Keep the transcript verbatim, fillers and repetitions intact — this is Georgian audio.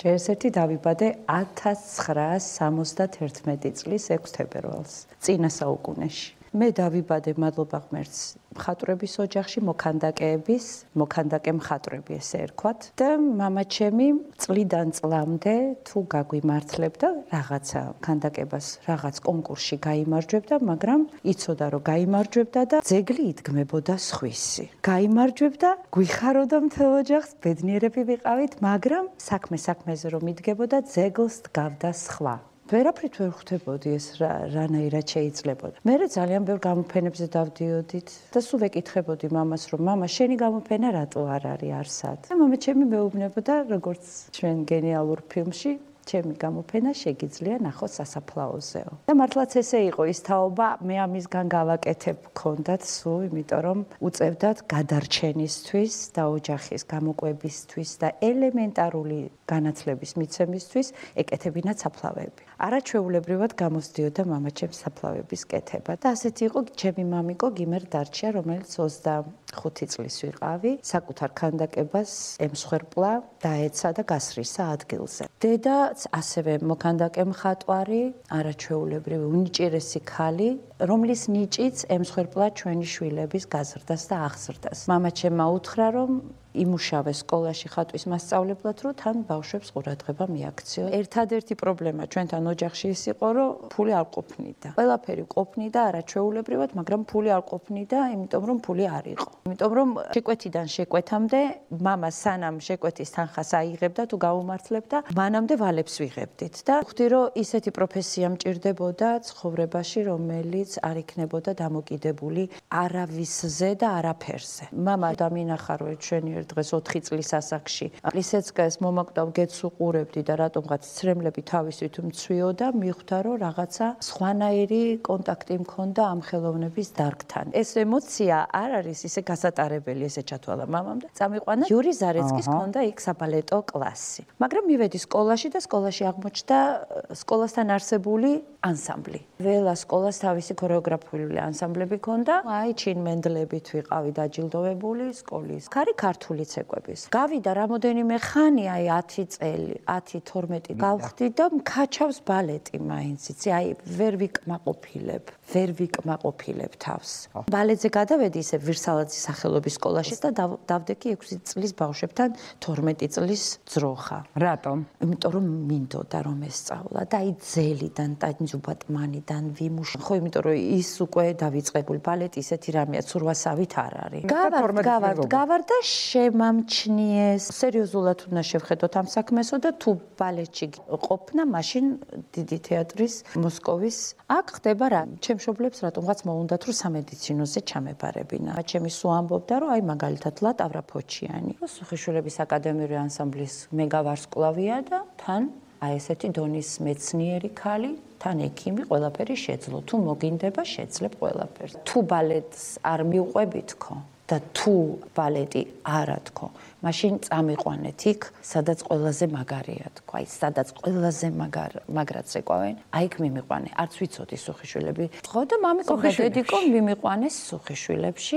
ეს ერთი დავიბადე ათას ცხრაას სამოცდათერთმეტი წლის ექვს თებერვალს, წინა საუკუნეში. მე დავიბადე მადლობა ღმერთს მხატვრების ოჯახში, მოქანდაკეების, მოქანდაკე მხატვრები ესე ერქვათ და მამაჩემი წლიდან წლამდე თუ გაგვიმართლებდა რაღაცა ქანდაკებას, რაღაც კონკურსში გაიმარჯვებდა, მაგრამ იცოდა რომ გაიმარჯვებდა და ძეგლი იდგმებოდა სხვისი. გაიმარჯვებდა, გვიხაროდა მთელ ოჯახს, ბედნიერები ვიყავით, მაგრამ საქმე საქმეზე რომ იდგებოდა, ძეგლს დგავდა სხვა. ვერაფრით ვერ ხვდებოდი ეს რანაირად შეიძლებოდა. მე ძალიან ბევრ გამოფენებზე დავდიოდით და სულ ვეკითხებოდი მამას, რომ მამა, შენი გამოფენა რატო არ არის არსად? და მამა ჩემი მეუბნებოდა, როგორც ჩვენ გენიალურ ფილმში, ჩემი გამოფენა შეგიძლია ნახო სასაფლაოზეო. და მართლაც ესე იყო ის თაობა, მე ამისგან გავაკეთებ გქონდათ სულ, იმიტომ რომ უწევდათ გადარჩენისთვის და ოჯახის გამოკვებისთვის და ელემენტარული განათლების მიცემისთვის ეკეთებინათ საფლავები. არაჩვეულებრივად გამოსდიოდა მამაჩემს საფლავების კეთება და ასეთი იყო ჩემი მამიკო გიმერ დარჩია, რომელიც ოცდახუთი წლის ვიყავი, საკუთარ ქანდაკებას ემსხვერპლა, დაეცა და გასრისა ადგილზე. დედაც ასევე მოქანდაკე მხატვარი, არაჩვეულებრივი უნიჭიერესი ქალი, რომლის ნიჭიც ემსხვერპლა ჩვენი შვილების გაზრდას და აღზრდას. მამაჩემმა უთხრა, რომ იმუშავე სკოლაში ხატვის მასწავლებლად, რომ თან ბავშვებს ყურადღება მიაქციო. ერთადერთი პრობლემა ჩვენთან ოჯახში ის იყო, რომ ფული არ ყოფნიდა. ყველაფერი ყოფნიდა არაჩვეულებრივად, მაგრამ ფული არ ყოფნიდა, იმიტომ რომ ფული არ იყო. იმიტომ რომ შეკვეთიდან შეკვეთამდე მამა სანამ შეკვეთის თანხას აიღებდა თუ გაუმართლებდა, მანამდე ვალებს ვიღებდით და ხვდი რომ ისეთი პროფესია მჭირდებოდა ცხოვრებაში, რომელიც არ იქნებოდა დამოკიდებული არავისზე და არაფერზე. მამა დამინახა რომ ჩვენი დღეს ოთხი წლის ასაკში. ისეცკეს მომაკვდავ გეთს უყურებდი და რატომღაც ცრემლები თავისით მცვიოდა, მიხვდა რომ რაღაცა სხვანაირი კონტაქტი მქონდა ამ ხელოვნების დარგთან. ეს ემოცია არ არის ისე გასატარებელი, ესე ჩათვალა მამამ და წამიყვანა იური ზარეცკის ჰქონდა იქ საბალეტო კლასი. მაგრამ მივედი სკოლაში და სკოლაში აღმოჩნდა სკოლასთან არსებული ანსამბლი. ველა სკოლას თავისი ქორეოგრაფიული ანსამბლები ჰქონდა. აი ჩინმენდლებით ვიყავი დაჯილდოვებული სკოლის. ქარი ქართული ცეკვების. გავიდა რამოდენიმე ხანი, აი ათი წელი, ათი თორმეტი გავხდი და მქაჩავს ბალეტი მაინც, იცი, აი ვერ ვიკმაყოფილებ, ვერ ვიკმაყოფილებ თავს. ბალეტზე გადავედი ისე ვირსალაძის სახელობის სკოლაში და დავდექი ექვსი წლის ბავშვებთან თორმეტი წლის ძროხა. რატომ? იმიტომ რომ მინდოდა რომ ესწავლა და აი ძელიდან, ტანჯუბატმანიდან ვიმუშავე. ხო, იმიტომ რომ ის უკვე დავიწყებული ბალეტი ისეთი რამეა, ცურვასავით არ არის. გავარდ, გავარდ, გავარდ და შემამჩნიეს. სერიოზულად უნდა შევხედოთ ამ საქმესო და თუ ბალეტში ყოფნა, მაშინ დიდი თეატრის მოსკოვის აქ ხდება რა. ჩემ მშობლებს რატომღაც მოუნდათ რომ სამედიცინოზე ჩამებარებინა. ჩემი სულ ამბობდა რომ აი მაგალითად ლატავრა ფოჩიანი. სუხიშვილების აკადემიური ანსამბლის მეგავარსკვლავია და თან აი ესეთი დონის მეცნიერი ქალი, თან ექიმი, ყველაფერი შეძლო. თუ მოგინდება, შეძლებ ყველაფერს. თუ ბალეტს არ მიუყვებით ხო? და თუ ბალეტი არა თქო, მაშინ წამიყვანეთ იქ, სადაც ყველაზე მაგარია თქო, აი სადაც ყველაზე მაგარ მაგრად ზეკვავენ, აი იქ მიმიყვანე. არც ვიცოდი სუხიშვილები. ხო და მამიკო და დედიკო მიმიყვანეს სუხიშვილებში.